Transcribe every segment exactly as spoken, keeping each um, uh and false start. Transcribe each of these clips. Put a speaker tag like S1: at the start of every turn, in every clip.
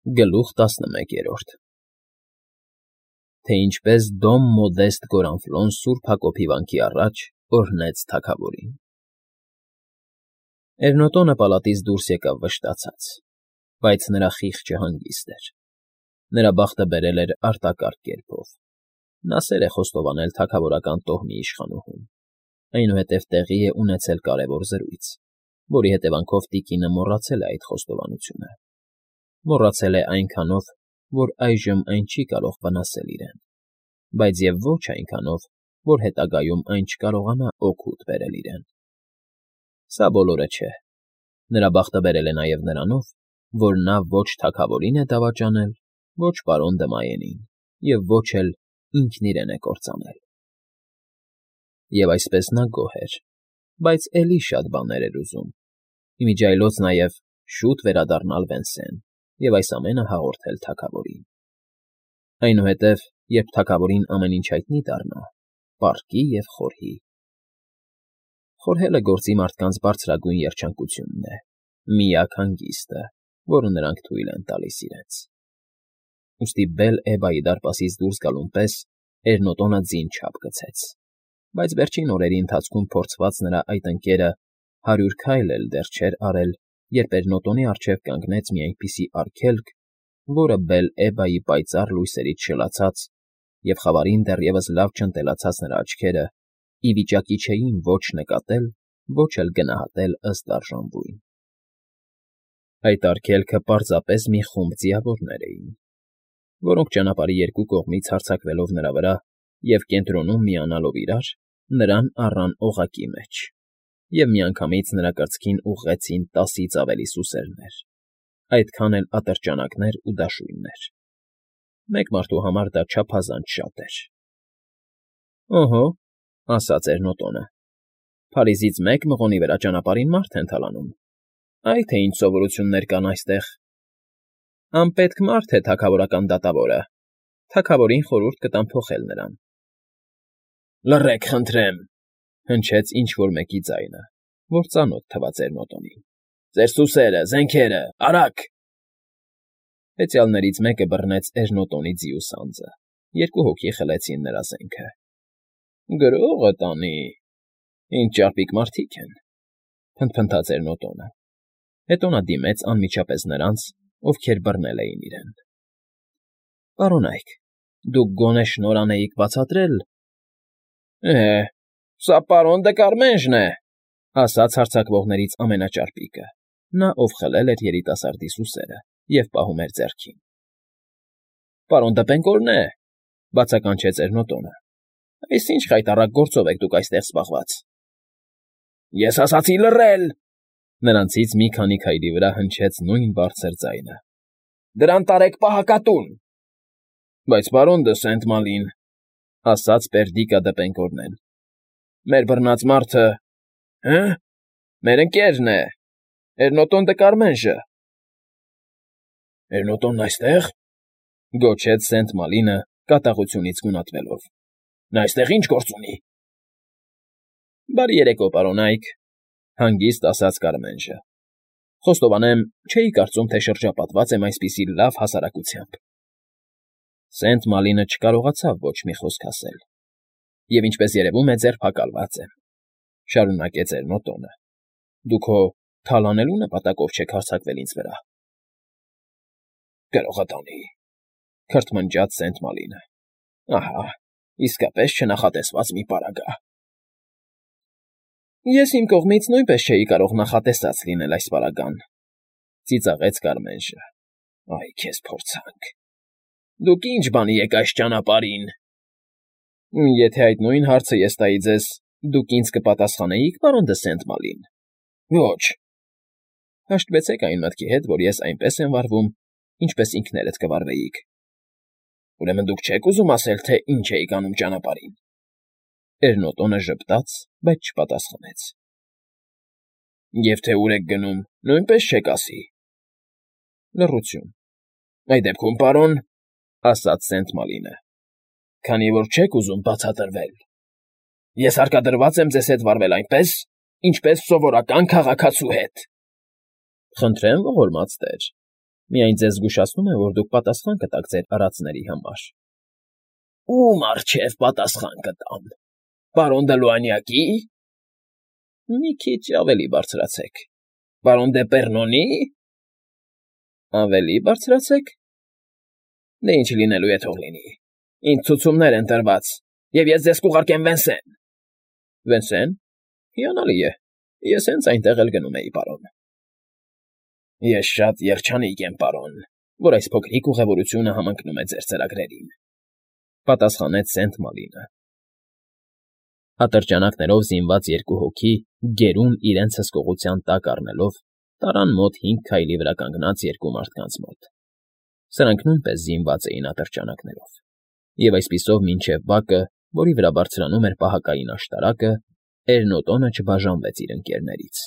S1: Գլուխ տասնմեկերորդ Թե ինչպես Դոմ Մոդեստ Գորանֆլոն Սուրբ Հակոբի վանքի առաջ օրհնեց թագավորին։ Էրնոտոնը պալատից դուրս եկավ վշտացած, բայց նրա խիղճը հանգիստ էր, նրա բախտը բերել էր արտակարգ կերպով, նա սեր է խոստովանել թագավորական տոհմի իշխանուհուն, այնուհետև տեղի է ունեցել կարևոր զրույց, որի հետևանքով տիկինը մոռացել է այդ խոստովանությունը, մոռացել է այնքանով, որ այժմ այն չի կարող վնասել իրեն, բայց և ոչ այնքանով, որ հետագայում այն չկարողանա օգուտ բերել իրեն։ Սա բոլորը չէ, նրա բախտը բերել է նաև նրանով, որ նա ոչ թագավորին է դավաճանել, ոչ պարոն Դմայենին և ոչ էլ ինքն իրեն է կործանել։ Եվ այսպես նա գոհ էր, բայց էլի շատ բաներ էր ուզում, ի միջի այլոց նաև շուտ վերադառնալ Վենսեն և այս ամենը հաղորդել թագավորին։ Այնուհետև, երբ թագավորին ամեն ինչ հայտնի դառնա, պառկի և խորհի։ Խորհելը գործի մարդկանց բարձրագույն երջանկությունն է, միակ հանգիստը, որը նրանք թույլ են տալիս իրենց։ Ուստի Բել֊Էբայի դարպասից դուրս գալուն պես Էրնոտոնը ձին չափ գցեց, բայց վերջին օրերի ընթացքում փորձված նրա այդ ընկերը հարյուր քայլ էլ դեռ չէր արել, երբ Էրնոտոնի առջև կանգնեց մի այնպիսի արգելք, որը Բել֊Էբայի պայծառ լույսերից շլացած և խավարին դեռևս լավ չընտելացած նրա աչքերը ի վիճակի չէին ոչ նկատել, ոչ էլ գնահատել ըստ արժանվույն։ Այդ արգելքը պարզապես մի խումբ ձիավորներ էին, որոնք ճանապարհի երկու կողմից հարձակվելով նրա վրա և կենտրոնում միանալով իրար, նրան առան օղակի մեջ և միանգամից նրա կրծքին ուղղեցին տասից ավելի սուսերներ, այդքան էլ ատրճանակներ ու դաշույններ։ Մեկ մարդու համար դա չափազանց շատ էր։ ֊ Օհո,֊ ասաց Էրնոտոնը,֊ Փարիզից մեկ մղոնի վրա ճանապարհին մարդ է ընթալանում, այ թե ինչ սովորություններ կան այստեղ։ Անպետք մարդ է թագավորական դատավորը, թագավորին խորհուրդ կտամ փոխել նրան։ ֊ Լռեք, խնդրեմ,֊ հնչեց ինչ֊որ մեկի ձայնը, որ ծանոթ թվաց Էրնոտոնին։֊ Ձեր սուսերը, զենքերը, արագ… Հեծյալներից մեկը բռնեց Էրնոտոնի ձիու սանձը, երկու հոգի խլեցին նրա զենքը։ ֊ Գրո՜ղը տանի… Ինչ ճարպիկ մարդիկ են,֊ փնթփնթաց Էրնոտոնը, հետո նա դիմեց անմիջապես նրանց, ովքեր բռնել էին իրեն։ ֊ Պարոնայք, դուք գոնե շնորհ անեիք բացատրել… ֊ Է՜, սա պարոն Դկարմենժն է,֊ ասաց հարձակվողներից ամենաճարպիկը, նա, ով խլել էր երիտասարդի սուսերը և պահում էր ձեռքին։ ֊ Պարոն Դպենկորն է,֊ բացականչեց Էրնոտոնը։֊ Այս ի՞նչ խայտառակ գործով եք դուք այստեղ զբաղված։ ֊ Ես ասացի լռել,֊ նրանցից մի քանի քայլի վրա հնչեց նույն բարձր ձայնը։֊ Դրան տարեք պահակատուն։ ֊ Բայց, պարոն դը Սենտ֊Մալին,֊ ասաց Պերդիկա Դեպենկորնեն,֊ մեր բռնած մարդը… Հը՞, մեր ընկերն է… Էրնոտոն Դկարմենժը… ֊ Էրնոտոնն այստե՞ղ,֊ գոչեց Սենտ֊Մալինը կատաղությունից գունատվելով։֊ Նա այստեղ ի՞նչ գործ ունի։ ֊ Բարի երեկո, պարոնայք,֊ հանգիստ ասաց Կարմենժը։֊ Խոստովանեմ, չէի կարծում, թե շրջապատված եմ այսպիսի լավ հասարակությամբ։ Սենտ֊Մալինը չկարողացավ ոչ մի խոսք ասել։ ֊ Եվ ինչպես երևում է, ձերբակալված եմ,֊ շարունակեց Էրնոտոնը։֊ Դուք հո թալանելու նպատակով չեք հարձակվել ինձ վրա։ ֊ Գրողը տանի,֊ քրթմնջաց Սենտ֊Մալինը։֊ Ահա, իսկապես չնախատեսված մի պարագա։ ֊ Ես իմ կողմից նույնպես չէի կարող նախատեսած լինել այս պարագան,֊ ծիծաղեց Կարմենժը։ Այ քեզ փորձանք… Դուք ի՞նչ բանի եք այս ճանապարհին։ ֊ Եթե այդ նույն հարցը ես տայի ձեզ, դուք ինձ կպատասխանեի՞ք, պարոն դը Սենտ֊Մալին։ ֊ Ոչ։ ֊ Հաշտվեցեք այն մտքի հետ, որ ես այնպես եմ վարվում, ինչպես ինքներդ կվարվեիք։ ֊ Ուրեմն դուք չեք ուզում ասել, թե ինչ էիք անում ճանապարհին։ Էրնոտոնը ժպտաց, բայց չպատասխանեց։ ֊ Եվ թե ուր եք գնում, նույնպես չեք ասի։ ֊ Լռություն։ ֊ Այդ դեպքում, պարոն,֊ ասաց Սենտ֊Մալինը,֊ քանի որ չեք ուզում բացատրվել, ես հարկադրված եմ ձեզ հետ վարվել այնպես, ինչպես սովորական քաղաքացու հետ։ ֊ Խնդրեմ, ողորմած տեր,֊ Միայն ձեզ զգուշացնում եմ, որ դուք պատասխան կտաք ձեր արածների համար։ ֊ Ո՞ւմ առջև պատասխան կտամ, պարոն Դլուանյակի՞։ ֊ Մի քիչ ավելի բարձրացեք։ ֊ Պարոն Դեպեռնոնի՞։ ֊ Ավելի բարձրացեք։ ֊ Դե ինչ լինելու է, թող լինի, ինձ ցուցումներ են տրված, և ես ձեզ կուղարկեմ Վենսեն։ ֊ Վենսե՞ն։ Հիանալի է, ես հենց այնտեղ էլ գնում էի, պարոն։ ֊ Ես շատ երջանիկ եմ, պարոն, որ այս փոքրիկ ուղևորությունը համընկնում է ձեր ծրագրերին,֊ պատասխանեց Սենտ Մալինը։ Ատրճանակներով զինված երկու հոգի, գերուն իրենց հսկողության տակ առնելով, տարան մոտ հինգ քայլի վրա կանգնած երկու մարդկանց մոտ. սրանք նույնպես զինված էին ատրճանակներով, և այսպիսով մինչև բակը, որի վրա բարձրանում էր պահակային աշտարակը, Էրնոտոնը չբաժանվեց իր ընկերներից։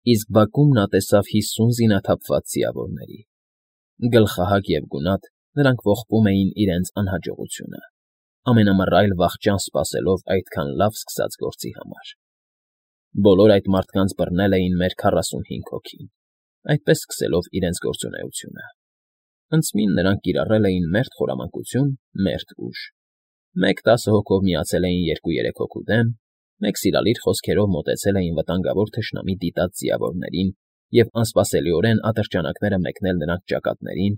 S1: Իսկ բակում նա տեսավ հիսուն զինաթափված ձիավորների. գլխահակ և գունատ նրանք ողբում էին իրենց անհաջողությունը, ամենամռայլ վախճան սպասելով այդքան լավ սկսած գործի համար։ Բոլոր այդ մարդկանց բռնել էին մեր քառասունհինգ հոգին, այդպես սկսելով իրենց գործունեությունը։ Հնձմին նրանք կիրառել էին մերթ խորամանկություն, մերթ ուժ. մեկ տասը հոգով միացել էին երկու֊երեք հոգու դեմ, մեկ սիրալիր խոսքերով մոտեցել էին վտանգավոր թշնամի դիտած ձիավորներին և անսպասելիորեն ատրճանակները մեկնել նրանց ճակատներին,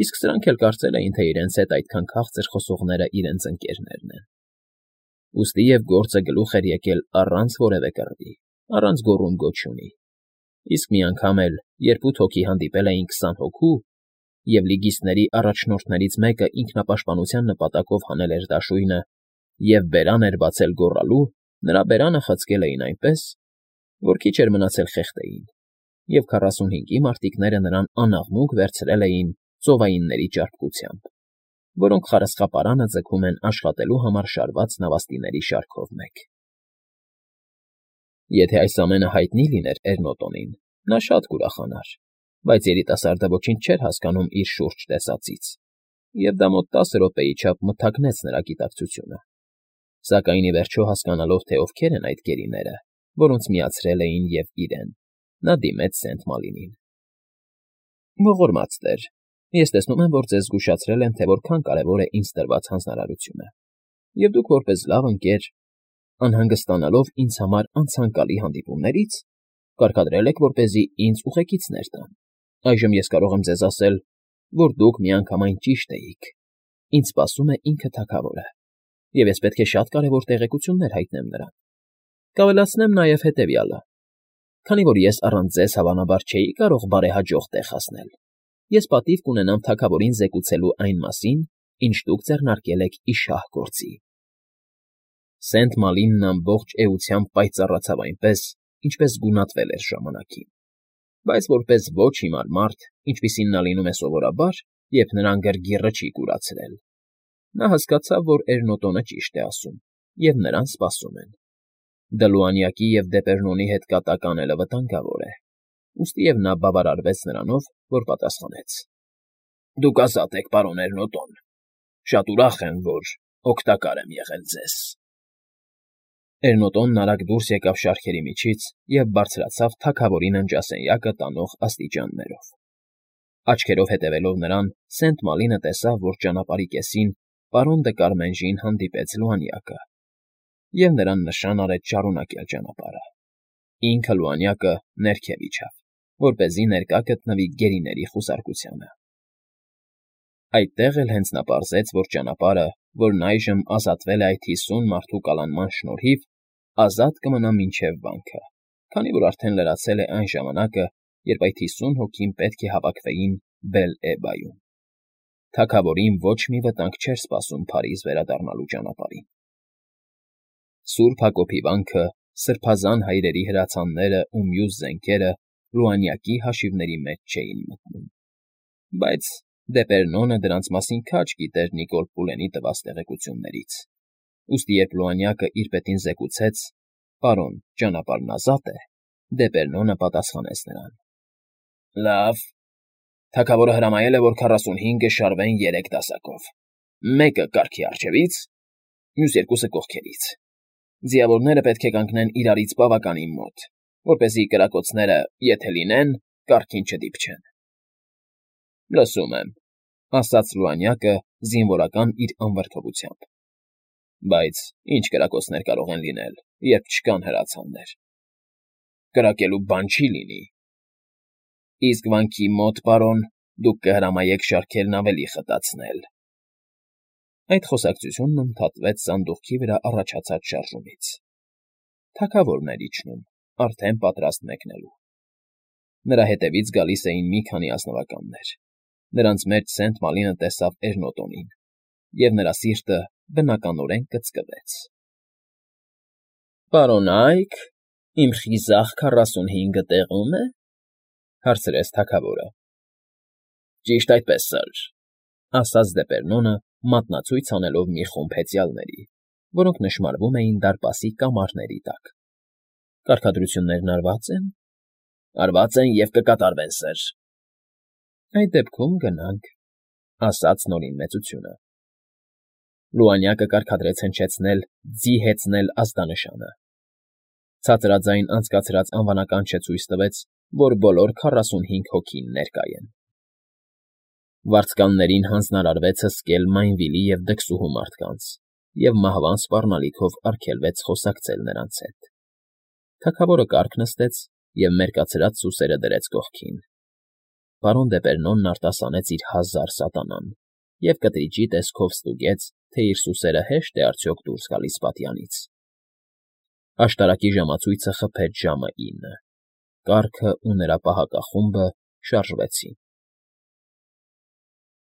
S1: իսկ սրանք էլ կարծել էին, թե իրենց հետ այդքան քաղցր խոսողները իրենց ընկերներն են։ Ուստի և գործը գլուխ էր եկել առանց որևէ կռվի, առանց գոռում֊գոչյունի, իսկ մի անգամ էլ, երբ ութ հոգի հանդիպել էին քսան հոգու, և լիգիստների առաջնորդներից մեկը ինքնապաշտպանության նպատակով հանել էր դաշույնը և բերան էր բացել գոռալու, նրա բերանը խցկել էին այնպես, որ քիչ էր մնացել խեղդեին, և քառասունհինգի մարտիկները նրան անաղմուկ վերցրել էին ծովայինների ճարպկությամբ, որոնք խարսխապարանը ձգում են աշխատելու համար շարված նավաստիների շարքով մեկ։ Եթե այս ամենը հայտնի լիներ Էրնոտոնին, նա շատ կուրախանար, բայց երիտասարդը ոչինչ չէր հասկանում իր շուրջ տեսածից, և դա մոտ տասը րոպեի չափ մթագնեց նրա գիտակցությունը, սակայն ի վերջո հասկանալով, թե ովքեր են այդ գերիները, որոնց միացրել էին և իրեն, նա դիմեց Սենտ Մալինին։ ֊ Ողորմած տեր, ես տեսնում եմ, որ ձեզ զգուշացրել եմ, թե որքան կարևոր է ինձ տրված հանձնարարությունը, և դուք որպես լավ ընկեր, անհանգստանալով ինձ համար անցանկալի հանդիպումներից, կարգադրել եք, որպեսզի ինձ ուղեկիցներ տան։ Այժմ ես կարող եմ ձեզ ասել, որ դուք միանգամայն ճիշտ էիք. ինձ սպասում է ինքը թագավորը, և ես պետք է շատ կարևոր տեղեկություններ հայտնեմ նրան։ Կավելացնեմ նաև հետևյալը. քանի որ ես առանց ձեզ հավանաբար չէի կարող բարեհաջող տեղ հասնել, ես պատիվ կունենամ թագավորին զեկուցելու այն մասին, ինչ դուք ձեռնարկել եք ի շահ գործի։ Սենտ Մալինն ամբողջ էությամբ պայծառացավ այնպես, ինչպես գունատվել էր ժամանակին, բայց որպես ոչ հիմար մարդ, ինչպիսին նա լինում է սովորաբար, երբ նրան գրգիռը չի կուրացրել, նա հասկացավ, որ Էրնոտոնը ճիշտ է ասում, և նրան սպասում են։ Դլուանյակի և Դեպեռնոնի հետ կատակ անելը վտանգավոր է, ուստիև նա բավարարվեց նրանով, որ պատասխանեց. ֊ Դուք ազատ եք, պարոն Էրնոտոն, շատ ուրախ եմ, որ օգտակար եմ եղել ձեզ։ Էրնոտոնն արագ դուրս եկավ շարքերի միջից և բարձրացավ թագավորի ննջասենյակը տանող աստիճաններով։ Աչքերով հետևելով նրան, Սենտ Մալինը տեսավ, որ ճանապարհի կեսին պարոն Դը Կարմենժին հանդիպեց Լուանյակը, և նրան նշան արեց շարունակել ճանապարհը։ Ինքը Լուանյակը ներքև իջավ, որպեսզի ներկա գտնվի գերիների խուզարկությանը։ Այդտեղ էլ հենց նա պարզեց, որ ճանապարհը, որն այժմ ազատվել է այդ հիսուն մարդու կալանման շնորհիվ, ազատ կմնա մինչև վանքը, քանի որ արդեն լրացել է այն ժամանակը, երբ այդ հիսուն հոգին պետք է հավաքվեին Բել֊Էբայում։ Թագավորին ոչ մի վտանգ չէր սպասում Փարիզ վերադառնալու ճանապարհին։ Սուրբ Հակոբի վանքը, սրբազան հայրերի հրացաններն ու մյուս զենքերը Լուանյակի հաշիվների մեջ չէին մտնում, բայց Դեպեռնոնը դրանց մասին քաջ գիտեր Նիկոլ Պուլենի տված տեղեկություններից, ուստի երբ Լուանյակը իր պետին զեկուցեց. «Պարոն, ճանապարհն ազատ է», Դեպեռնոնը պատասխանեց նրան. «Լավ, թագավորը հրամայել է, որ քառասունհինգը շարվեն երեք դասակով, մեկը կառքի առջևից, մյուս երկուսը կողքերից։ Ձիավորները պետք է կանգնեն իրարից բավականին մոտ, որպեսզի կրակոցները, եթե լինեն, կառքին չդիպչեն։ Լսում եմ,֊ ասաց Լուանյակը զինվորական իր անվրդովությամբ,֊ բայց ի՞նչ կրակոցներ կարող են լինել, երբ չկան հրացաններ… Կրակելու բան չի լինի… Իսկ վանքի մոտ, պարոն, դուք կհրամայեք շարքերն ավելի խտացնել… Այդ խոսակցությունն ընդհատվեց սանդուղքի վրա առաջացած շարժումից. թագավորն էր իջնում, արդեն պատրաստ մեկնելու… Նրա հետևից գալիս էին մի քանի ազնվականներ… Նրանց մեջ Սենտ Մալինը տեսավ Էրնոտոնին, և նրա սիրտը բնականորեն կծկվեց։ ֊ Պարոնա՛յք, իմ խիզախ քառասունհինգը տեղո՞ւմ է,֊ հարցրեց թագավորը։ ֊ Ճիշտ այդպես, սըր,֊ ասաց Դեպերնոնը, մատնացույց անելով մի խումբ հեծյալների, որոնք նշմարվում էին դարպասի կամարների տակ։ ֊ Կարգադրություններն արվա՞ծ են։ ֊ Արված են և կկատարվեն, սըր։ ֊ Այդ դեպքում գնանք,֊ ասաց Նորին Մեծությունը։ Լուանյակը կարգադրեց հնչեցնել «ձի հեծնել» ազդանշանը։ Ցածրաձայն անցկացրած անվանականչը ցույց տվեց, որ բոլոր քառասունհինգ հոգին ներկա են։ Վարձկաններին հանձնարարվեց հսկել Մայնվիլի և դքսուհու մարդկանց և մահվան սպառնալիքով արգելվեց խոսակցել նրանց հետ։ Թագավորը կառք նստեց և մերկացրած սուսերը դրեց կողքին։ Պարոն Դեպերնոնն արտասանեց իր հազար սատանան և կտրիճի տեսքով ստուգեց, թե իր սուսերը հե՞շտ է արդյոք դուրս գալիս պատյանից։ Աշտարակի ժամացույցը խփեց ժամը ինը, կառքը ու նրա պահակախումբը շարժվեցին։